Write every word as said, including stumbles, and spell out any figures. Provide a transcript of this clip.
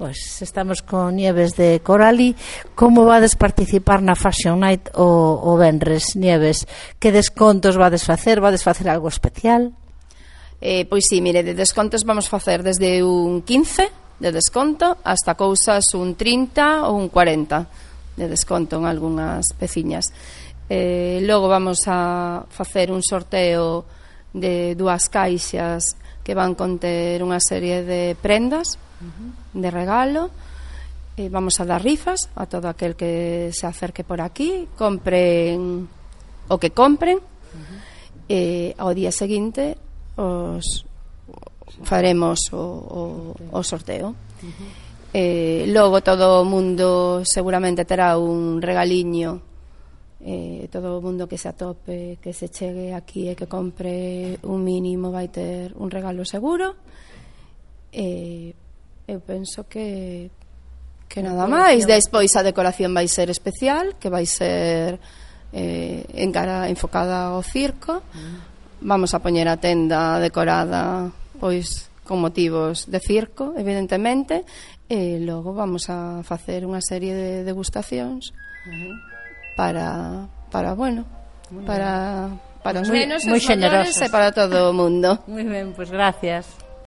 Pois estamos con Nieves de Corali. Como vades participar na Fashion Night o, o venres, Nieves? Que descontos vades facer? Vades facer algo especial? Eh, pois sí, mire, de descontos vamos facer desde un quince de desconto hasta cousas un trinta ou un cuarenta de desconto en algunhas peciñas. Eh, logo vamos a facer un sorteo de dúas caixas que van conter unha serie de prendas de regalo. Eh, vamos a dar rifas a todo aquel que se acerque por aquí, compren o que compren. Uh-huh. Eh, ao día seguinte os faremos o, o, o sorteo. Uh-huh. Eh, logo todo o mundo seguramente terá un regaliño. Eh, todo o mundo que se atope, que se chegue aquí e que compre un mínimo vai ter un regalo seguro. Eh, eu penso que que nada máis. Despois a decoración vai ser especial, que vai ser eh, en cara enfocada ao circo. Vamos a poñer a tenda decorada pois con motivos de circo, evidentemente, e logo vamos a facer unha serie de degustacións para, para bueno, para, para os nenos, os maiores e para todo o mundo. Moi ben, pois gracias.